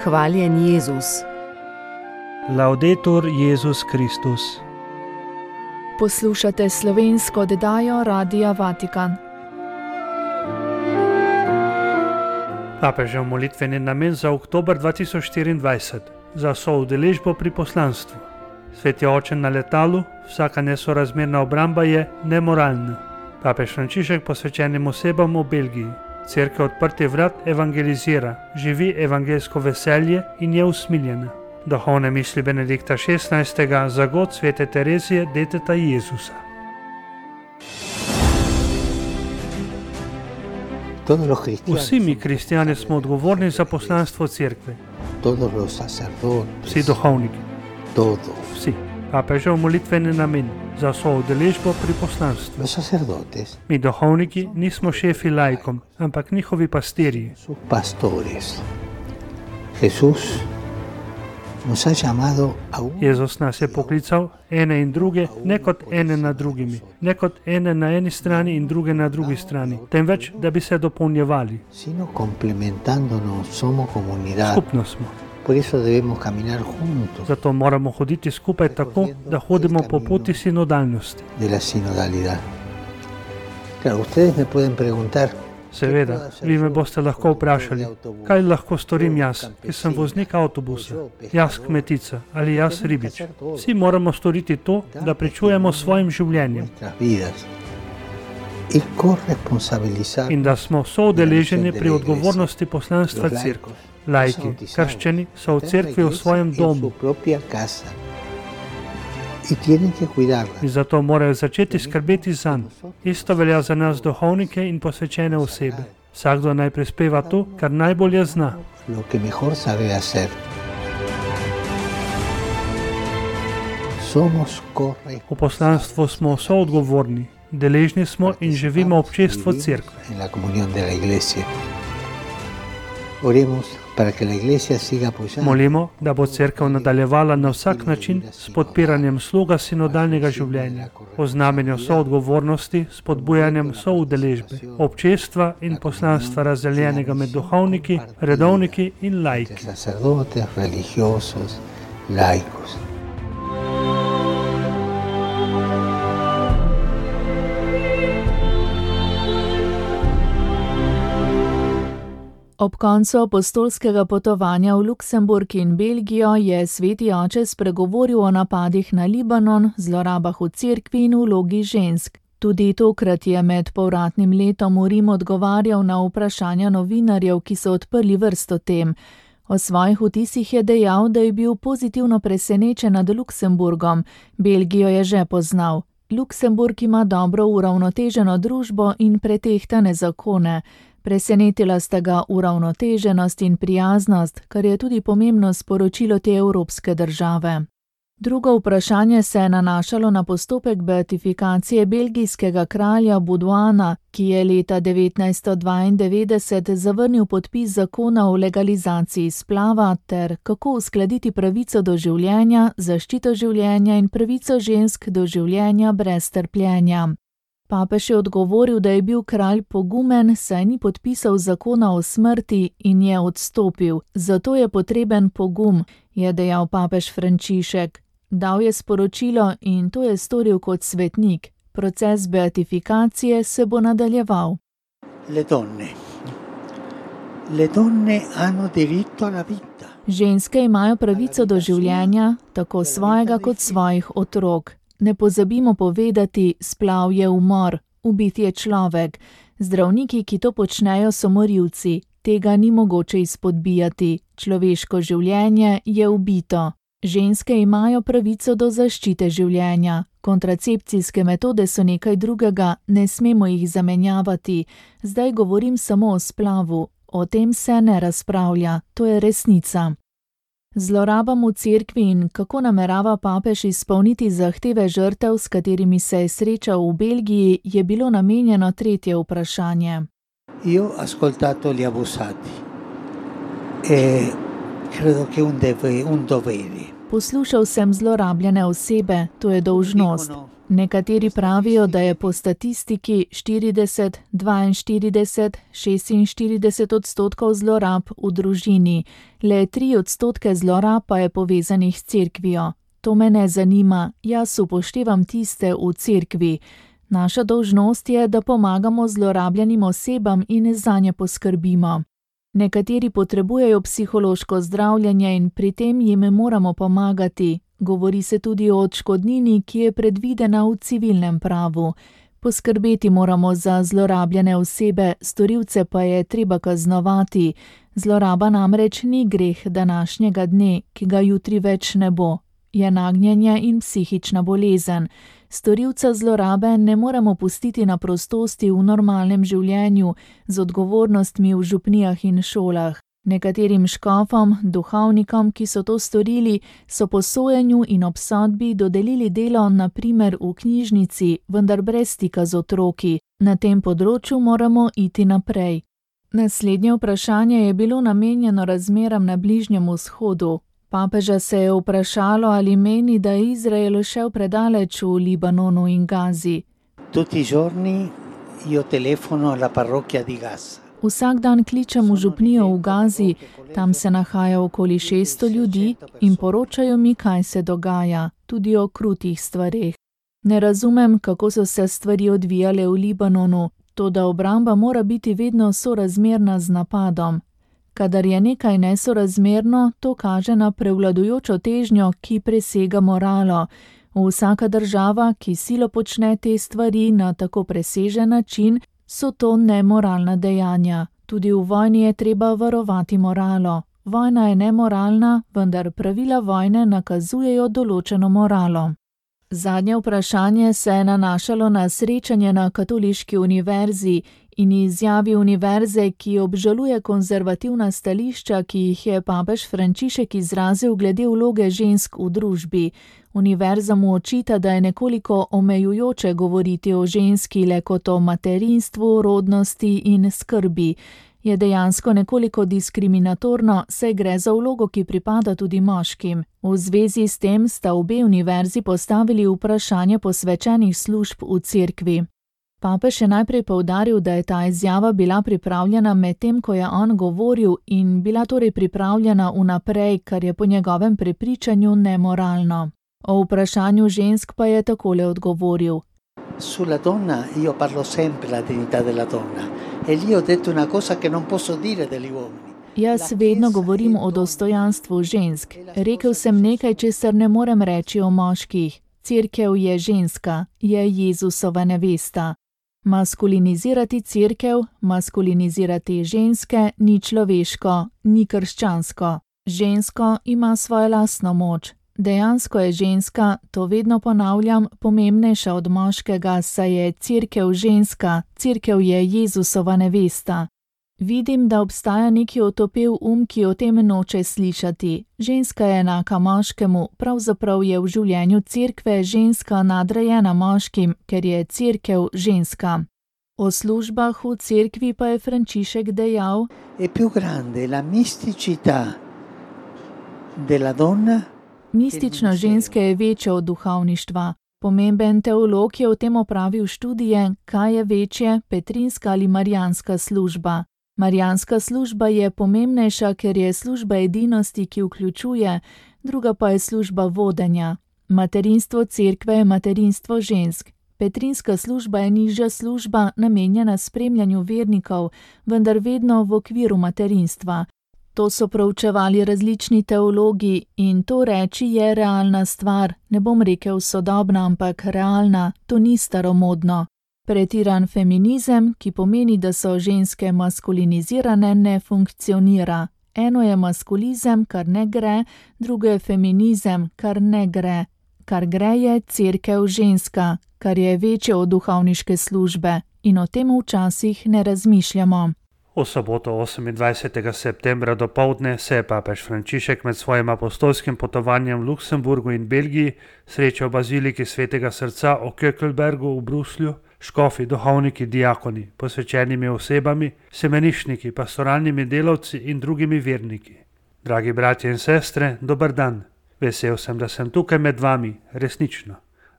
Hvaljen Jezus. Laudetur Jezus Kristus. Poslušate slovensko oddajo Radia Vatikan. Papežev molitveni namen za oktober 2024 za soudeležbo pri poslanstvu. Sveti oče na letalu, vsaka nesorazmerna obramba je nemoralna. Papež Frančišek posvečenim osebam v Belgiji. Cerkev odprtih vrat evangelizira, živi evangelsko veselje in je usmiljena. Duhovne misli Benedikta XVI. Za god svete Terezije, deteta Jezusa. Vsi mi kristjani smo odgovorni za poslanstvo cerkve. Vsi duhovniki. Vsi. Papežev molitveni namen za soudeležbo pri poslanstvu. Mi duhovniki nismo šefi laikom, ampak njihovi pastirji. Jezus nas je poklical ene in druge, ne kot ene nad drugimi, ne kot ene na eni strani in druge na drugi strani, temveč, da bi se dopolnjevali. Skupno smo. Zato moramo hoditi skupaj tako, da hodimo po poti sinodalnosti. Seveda, vi me boste lahko vprašali, kaj lahko storim jaz, ki sem voznik avtobusa, jaz kmetica ali jaz ribič. Vsi moramo storiti to, da pričujemo svojim življenjem in da smo soudeleženi pri odgovornosti poslanstva cerkve. Laiki, krščani, so v cerkvi v svojem domu in zato morajo začeti skrbeti zanj. Isto velja za nas duhovnike in posvečene osebe. Vsakdo naj prispeva to, kar najbolje zna. V poslanstvu smo soodgovorni, deležni smo in živimo občestvo cerkve. Molimo, da bo cerkev nadaljevala na vsak način s podpiranjem sloga sinodalnega življenja, o znamenju soodgovornosti, s podbujanjem soudeležbe, občestva in poslanstva razdeljenega med duhovniki, redovniki in laiki. Ob koncu apostolskega potovanja v Luksemburg in Belgijo je sveti oče spregovoril o napadih na Libanon, zlorabah v cerkvi in vlogi žensk. Tudi tokrat je med povratnim letom v Rim odgovarjal na vprašanja novinarjev, ki so odprli vrsto tem. O svojih vtisih je dejal, da je bil pozitivno presenečen nad Luksemburgom. Belgijo je že poznal. Luksemburg ima dobro uravnoteženo družbo in pretehtane zakone. Presenetila sta ga uravnoteženost in prijaznost, kar je tudi pomembno sporočilo te evropske države. Drugo vprašanje se je nanašalo na postopek beatifikacije belgijskega kralja Baudouina, ki je leta 1992 zavrnil podpis zakona o legalizaciji splava ter kako uskladiti pravico do življenja, zaščito življenja in pravico žensk do življenja brez trpljenja. Papež je odgovoril, da je bil kralj pogumen, saj ni podpisal zakona o smrti in je odstopil. Zato je potreben pogum, je dejal papež Frančišek. Dal je sporočilo in to je storil kot svetnik. Proces beatifikacije se bo nadaljeval. Ženske imajo pravico do življenja, tako svojega kot svojih otrok. Ne pozabimo povedati, splav je umor, ubit je človek. Zdravniki, ki to počnejo, so morilci. Tega ni mogoče izpodbijati. Človeško življenje je ubito. Ženske imajo pravico do zaščite življenja. Kontracepcijske metode so nekaj drugega, ne smemo jih zamenjavati. Zdaj govorim samo o splavu. O tem se ne razpravlja, to je resnica. Zlorabam v cerkvi in kako namerava papež izpolniti zahteve žrtev, s katerimi se je srečal v Belgiji, je bilo namenjeno tretje vprašanje. Poslušal sem zlorabljene osebe, to je dolžnost. Nekateri pravijo, da je po statistiki 40, 42, 46% zlorab v družini, le 3% zlorab pa je povezanih s cerkvijo. To me ne zanima, jaz upoštevam tiste v cerkvi. Naša dolžnost je, da pomagamo zlorabljenim osebam in zanje poskrbimo. Nekateri potrebujejo psihološko zdravljenje in pri tem jim moramo pomagati. Govori se tudi o odškodnini, ki je predvidena v civilnem pravu. Poskrbeti moramo za zlorabljene osebe, storilce pa je treba kaznovati. Zloraba namreč ni greh današnjega dne, ki ga jutri več ne bo. Je nagnjenje in psihična bolezen. Storilca zlorabe ne moremo pustiti na prostosti v normalnem življenju, z odgovornostmi v župnijah in šolah. Nekaterim škofom, duhovnikom, ki so to storili, so po sojenju in obsodbi dodelili delo na primer v knjižnici, vendar brez stika z otroki. Na tem področju moramo iti naprej. Naslednje vprašanje je bilo namenjeno razmeram na Bližnjem vzhodu. Papeža se je vprašalo, ali meni, da je Izrael šel predaleč v Libanonu in Gazi. Tutti i giorni io telefono alla parrocchia di Gaza. Vsak dan kličem v župnijo v Gazi, tam se nahaja okoli 600 ljudi in poročajo mi, kaj se dogaja, tudi o krutih stvareh. Ne razumem, kako so se stvari odvijale v Libanonu, toda obramba mora biti vedno sorazmerna z napadom. Kadar je nekaj nesorazmerno, to kaže na prevladujočo težnjo, ki presega moralo. Vsaka država, ki silo počne te stvari na tako presežen način, so to nemoralna dejanja. Tudi v vojni je treba varovati moralo. Vojna je nemoralna, vendar pravila vojne nakazujejo določeno moralo. Zadnje vprašanje se je nanašalo na srečanje na Katoliški univerzi in izjavi univerze, ki obžaluje konzervativna stališča, ki jih je papež Frančišek izrazil glede vloge žensk v družbi. Univerza mu očita, da je nekoliko omejujoče govoriti o ženski le kot o materinstvu, rodnosti in skrbi. Je dejansko nekoliko diskriminatorno, saj gre za vlogo, ki pripada tudi moškim. V zvezi s tem sta obe univerzi postavili vprašanje posvečenih služb v cerkvi. Papež je najprej poudaril, da je ta izjava bila pripravljena med tem, ko je on govoril in bila torej pripravljena vnaprej, kar je po njegovem prepričanju nemoralno. O vprašanju žensk pa je takole odgovoril. Sulla donna io parlo sempre la dignità della donna e lì ho detto una cosa che non posso dire degli uomini. Jaz vedno govorim o dostojanstvu žensk. Rekel sem nekaj, česar ne morem reči o moških. Cerkev je ženska, je Jezusova nevesta. Maskulinizirati cerkev, maskulinizirati ženske ni človeško, ni krščansko. Žensko ima svojo lastno moč. Dejansko je ženska, to vedno ponavljam, pomembnejša od moškega, saj je cerkev ženska, cerkev je Jezusova nevesta. Vidim, da obstaja neki otopel ki o tem noče slišati. Ženska je enaka moškemu, pravzaprav je v življenju cerkve ženska nadrejena moškim, ker je cerkev ženska. O službah v cerkvi pa je Frančišek dejal: È più grande la misticità della donna. Mistično ženske je večje od duhovništva. Pomemben teolog je o tem opravil študije, kaj je večje, petrinska ali marijanska služba. Marijanska služba je pomembnejša, ker je služba edinosti, ki vključuje, druga pa je služba vodenja. Materinstvo cerkve je materinstvo žensk. Petrinska služba je nižja služba, namenjena spremljanju vernikov, vendar vedno v okviru materinstva. To so proučevali različni teologi in to reči je realna stvar, ne bom rekel sodobna, ampak realna, to ni staromodno. Pretiran feminizem, ki pomeni, da so ženske maskulinizirane, ne funkcionira. Eno je maskulizem, kar ne gre, drugo je feminizem, kar ne gre. Kar gre je cerkev ženska, kar je večje od duhovniške službe in o tem včasih ne razmišljamo. V soboto 28. septembra dopoldne se je papež Frančišek med svojim apostolskim potovanjem v Luksemburgu in Belgiji srečal v baziliki Svetega srca v Kökelbergu v Bruslju, škofi, duhovniki, diakoni, posvečenimi osebami, semenišniki, pastoralnimi delavci in drugimi verniki. Dragi bratje in sestre, dober dan. Vesel sem, da sem tukaj med vami, resnično.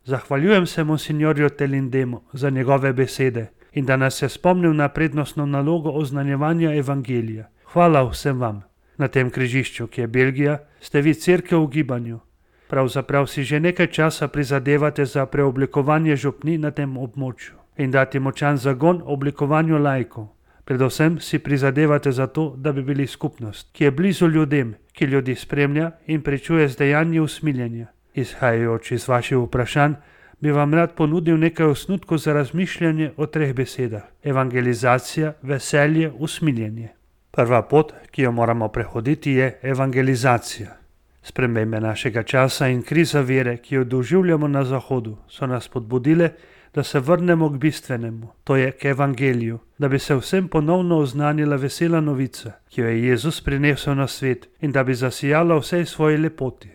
Zahvaljujem se monsignorju Telindemu za njegove besede in da nas je spomnil na prednostno nalogo oznanjevanja evangelija. Hvala vsem vam. Na tem križišču, ki je Belgija, ste vi cerkev v gibanju. Pravzaprav si že nekaj časa prizadevate za preoblikovanje župni na tem območju in dati močan zagon oblikovanju laikov. Predvsem si prizadevate za to, da bi bili skupnost, ki je blizu ljudem, ki ljudi spremlja in pričuje z dejanji usmiljenja. Izhajajoč iz vaših vprašanj, bi vam rad ponudil nekaj osnutkov za razmišljanje o 3 besedah: evangelizacija, veselje, usmiljenje. Prva pot, ki jo moramo prehoditi, je evangelizacija. Spremembe našega časa in kriza vere, ki jo doživljamo na Zahodu, so nas spodbudile, da se vrnemo k bistvenemu, to je k evangeliju, da bi se vsem ponovno oznanila vesela novica, ki jo je Jezus prinesel na svet in da bi zasijala vsej svoji lepoti.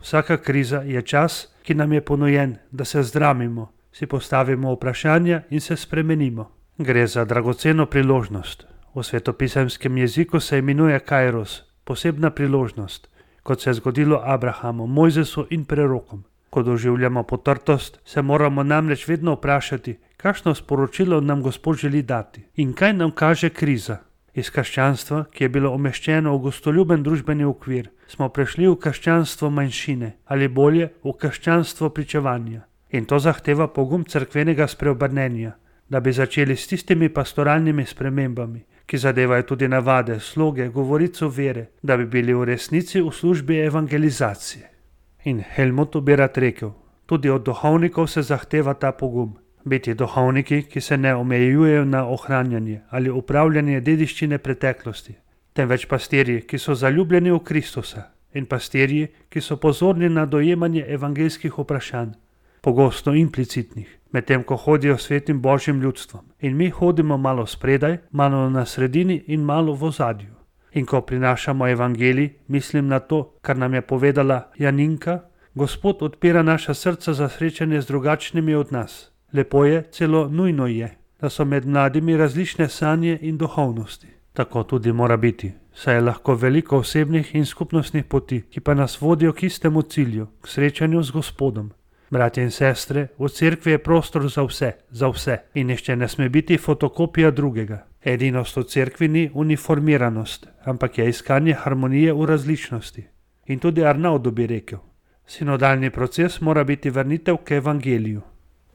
Vsaka kriza je čas, ki nam je ponujen, da se zdramimo, si postavimo vprašanja in se spremenimo. Gre za dragoceno priložnost. V svetopisemskem jeziku se imenuje kairos, posebna priložnost, kot se je zgodilo Abrahamu, Mojzesu in prerokom. Ko doživljamo potrtost, se moramo namreč vedno vprašati, kakšno sporočilo nam Gospod želi dati in kaj nam kaže kriza. Iz krščanstva, ki je bilo umeščeno v gostoljuben družbeni okvir, smo prešli v krščanstvo manjšine ali bolje v krščanstvo pričevanja. In to zahteva pogum cerkvenega spreobrnenja, da bi začeli s tistimi pastoralnimi spremembami, ki zadevajo tudi navade, sloge, govorico vere, da bi bili v resnici v službi evangelizacije. In Helmutu bi rad rekel, tudi od duhovnikov se zahteva ta pogum. Biti duhovniki, ki se ne omejujejo na ohranjanje ali upravljanje dediščine preteklosti, temveč pastirji, ki so zaljubljeni v Kristusa in pastirji, ki so pozorni na dojemanje evangeljskih vprašanj, pogosto implicitnih, medtem ko hodijo svetim Božjim ljudstvom in mi hodimo malo spredaj, malo na sredini in malo v ozadju. In ko prinašamo evangelij, mislim na to, kar nam je povedala Janinka, Gospod odpira naša srca za srečanje z drugačnimi od nas. Lepo je, celo nujno je, da so med mladimi različne sanje in duhovnosti. Tako tudi mora biti, saj je lahko veliko osebnih in skupnostnih poti, ki pa nas vodijo k istemu cilju, k srečanju z Gospodom. Bratje in sestre, v cerkvi je prostor za vse in nihče ne sme biti fotokopija drugega. Edinost v cerkvi ni uniformiranost, ampak je iskanje harmonije v različnosti. In tudi Arnaudu bi rekel, sinodalni proces mora biti vrnitev k evangeliju.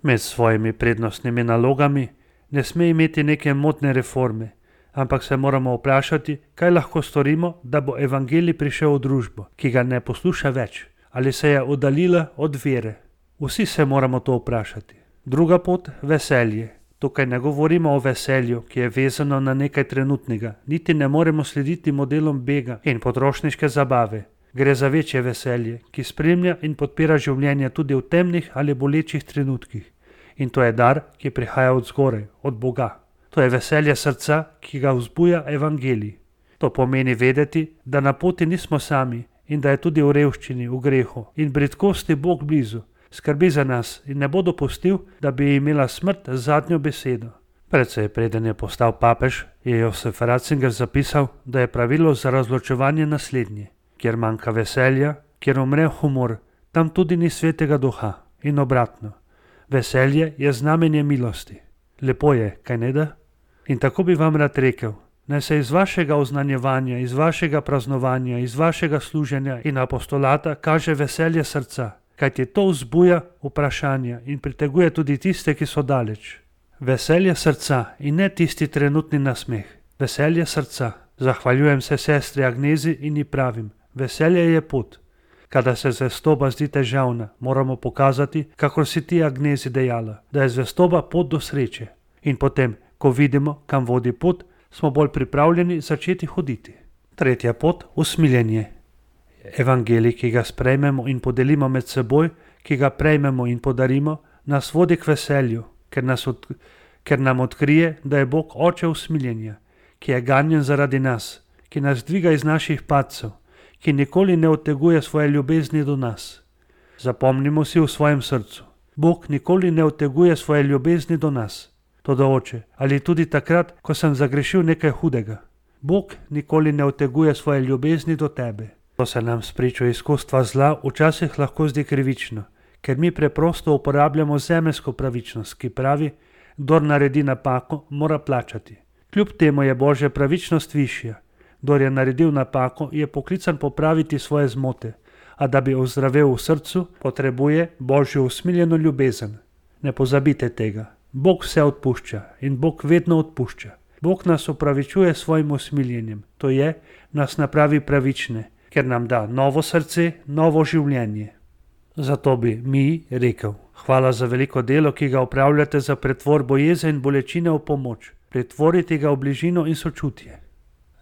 Med svojimi prednostnimi nalogami ne sme imeti neke modne reforme, ampak se moramo vprašati, kaj lahko storimo, da bo evangelij prišel v družbo, ki ga ne posluša več, ali se je oddaljila od vere. Vsi se moramo to vprašati. Druga pot, veselje. Tukaj ne govorimo o veselju, ki je vezano na nekaj trenutnega, niti ne moremo slediti modelom bega in potrošniške zabave. Gre za večje veselje, ki spremlja in podpira življenje tudi v temnih ali bolečih trenutkih. In to je dar, ki prihaja od zgoraj, od Boga. To je veselje srca, ki ga vzbuja evangelij. To pomeni vedeti, da na poti nismo sami in da je tudi v revščini, v grehu in bridkosti Bog blizu. Skrbi za nas in ne bo dopustil, da bi imela smrt zadnjo besedo. Precej preden je postal papež, je Josef Ratzinger zapisal, da je pravilo za razločevanje naslednje. Kjer manjka veselja, kjer umre humor, tam tudi ni svetega duha in obratno. Veselje je znamenje milosti. Lepo je, kaj ne da? In tako bi vam rad rekel, naj se iz vašega oznanjevanja, iz vašega praznovanja, iz vašega služenja in apostolata kaže veselje srca, kajti to vzbuja vprašanja in priteguje tudi tiste, ki so daleč. Veselje srca in ne tisti trenutni nasmeh. Veselje srca. Zahvaljujem se sestri Agnezi in ji pravim, veselje je pot. Kada se zvestoba zdi težavna, moramo pokazati, kakor si ti Agnezi dejala, da je zvestoba pot do sreče. In potem, ko vidimo, kam vodi pot, smo bolj pripravljeni začeti hoditi. Tretja pot, usmiljenje. Evangelij, ki ga sprejmemo in podelimo med seboj, ki ga prejmemo in podarimo, nas vodi k veselju, ker nam odkrije, da je Bog oče usmiljenja, ki je ganjen zaradi nas, ki nas dviga iz naših padcev, ki nikoli ne odteguje svoje ljubezni do nas. Zapomnimo si v svojem srcu, Bog nikoli ne odteguje svoje ljubezni do nas. Toda oče, ali tudi takrat, ko sem zagrešil nekaj hudega, Bog nikoli ne odteguje svoje ljubezni do tebe. To se nam spričo izkustva zla včasih lahko zdi krivično, ker mi preprosto uporabljamo zemeljsko pravičnost, ki pravi, kdor naredi napako, mora plačati. Kljub temu je Božja pravičnost višja. Kdor je naredil napako, je poklican popraviti svoje zmote, a da bi ozdravel v srcu, potrebuje Božjo usmiljeno ljubezen. Ne pozabite tega. Bog vse odpušča in Bog vedno odpušča. Bog nas opravičuje svojim usmiljenjem, to je, nas napravi pravične, ker nam da novo srce, novo življenje. Zato bi mi rekel, hvala za veliko delo, ki ga opravljate za pretvorbo jeze in bolečine v pomoč. Pretvorite ga v bližino in sočutje.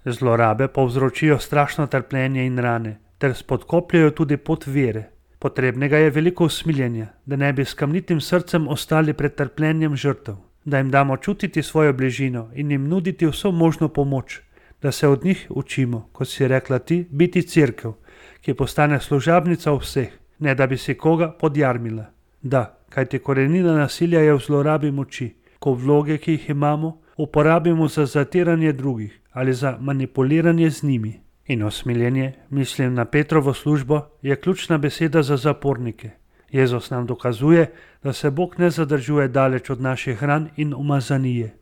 Zlorabe povzročijo strašno trpljenje in rane, ter spodkopljajo tudi pot vere. Potrebnega je veliko usmiljenja, da ne bi s kamnitim srcem ostali pred trpljenjem žrtev, da jim damo čutiti svojo bližino in jim nuditi vso možno pomoč, da se od njih učimo, kot si rekla ti, biti cerkev, ki postane služabnica vseh, ne da bi si koga podjarmila. Da, kajti korenina nasilja je v zlorabi moči, ko vloge, ki jih imamo, uporabimo za zatiranje drugih ali za manipuliranje z njimi. In usmiljenje, mislim na Petrovo službo, je ključna beseda za zapornike. Jezus nam dokazuje, da se Bog ne zadržuje daleč od naših ran in umazanije.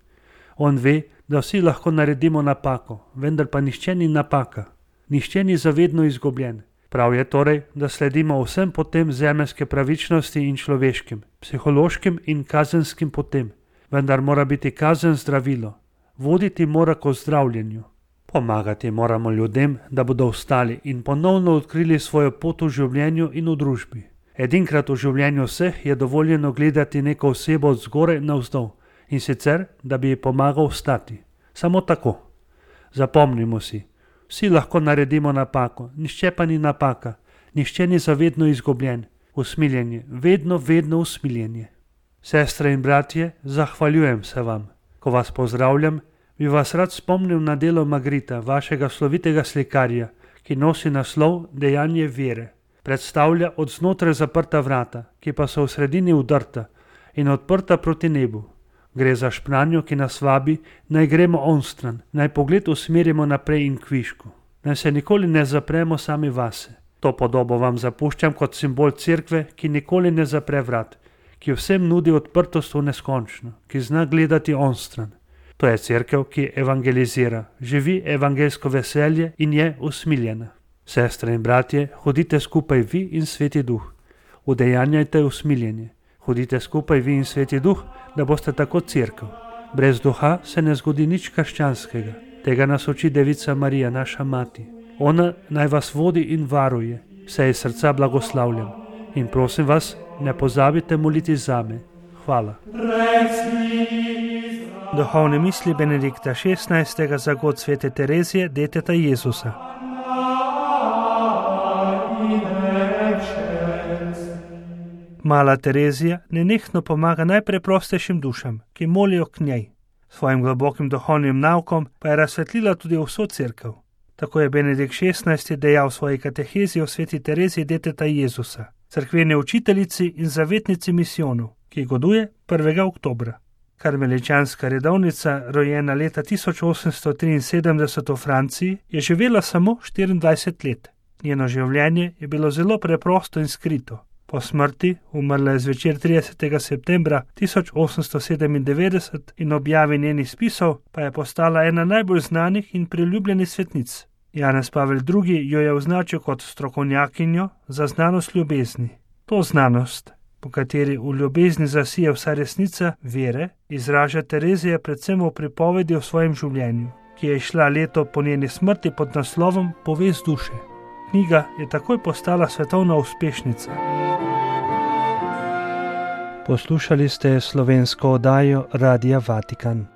On ve, da vsi lahko naredimo napako, vendar pa nihče ni napaka. Nihče ni zavedno izgubljen. Prav je torej, da sledimo vsem potem zemeljske pravičnosti in človeškim, psihološkim in kazenskim potem. Vendar mora biti kazen zdravilo. Voditi mora k ozdravljenju. Pomagati moramo ljudem, da bodo vstali in ponovno odkrili svojo pot v življenju in v družbi. Edinkrat v življenju vseh je dovoljeno gledati neko osebo od zgoraj navzdol, in sicer, da bi ji pomagal vstati. Samo tako. Zapomnimo si, vsi lahko naredimo napako, nihče pa ni napaka, nihče ni zavedno izgubljen. Usmiljenje, vedno usmiljenje. Sestre in bratje, zahvaljujem se vam. Ko vas pozdravljam, bi vas rad spomnil na delo Magrita, vašega slovitega slikarja, ki nosi naslov Dejanje vere. Predstavlja od znotraj zaprta vrata, ki pa so v sredini udrta in odprta proti nebu. Gre za špranjo, ki nas vabi, naj gremo onstran, naj pogled usmerimo naprej in kvišku. Naj se nikoli ne zapremo sami vase. To podobo vam zapuščam kot simbol cerkve, ki nikoli ne zapre vrat, ki vsem nudi odprtost v neskončno, ki zna gledati onstran. To je cerkev, ki evangelizira, živi evangelsko veselje in je usmiljena. Sestre in bratje, hodite skupaj vi in Sveti Duh. Udejanjajte usmiljenje. Hodite skupaj vi in Sveti Duh, da boste tako cerkev. Brez duha se ne zgodi nič krščanskega. Tega nas uči Devica Marija, naša mati. Ona naj vas vodi in varuje. Vse iz srca blagoslavljam. In prosim vas, ne pozabite moliti zame. Hvala. Duhovne misli Benedikta XVI. Za god Svete Terezije, deteta Jezusa. Mala Terezija nenehno pomaga najpreprostejšim dušam, ki molijo k njej. Svojim globokim duhovnim naukom pa je razsvetlila tudi vso cerkev. Tako je Benedikt XVI. Dejal v svoji katehezi o Sveti Tereziji deteta Jezusa, cerkveni učiteljici in zavetnici misijonov, ki goduje 1. oktobra. Karmeličanska redovnica, rojena leta 1873 v Franciji, je živela samo 24 let. Njeno življenje je bilo zelo preprosto in skrito. Po smrti, umrla je zvečer 30. septembra 1897 in objavi njenih spisov, pa je postala ena najbolj znanih in priljubljenih svetnic. Janez Pavel II. Jo je označil kot strokovnjakinjo za znanost ljubezni. To znanost, po kateri v ljubezni zasije vsa resnica vere, izraža Terezija predvsem v pripovedi o svojem življenju, ki je šla leto po njeni smrti pod naslovom Povest duše. Knjiga je takoj postala svetovna uspešnica. Poslušali ste slovensko oddajo Radia Vatikan.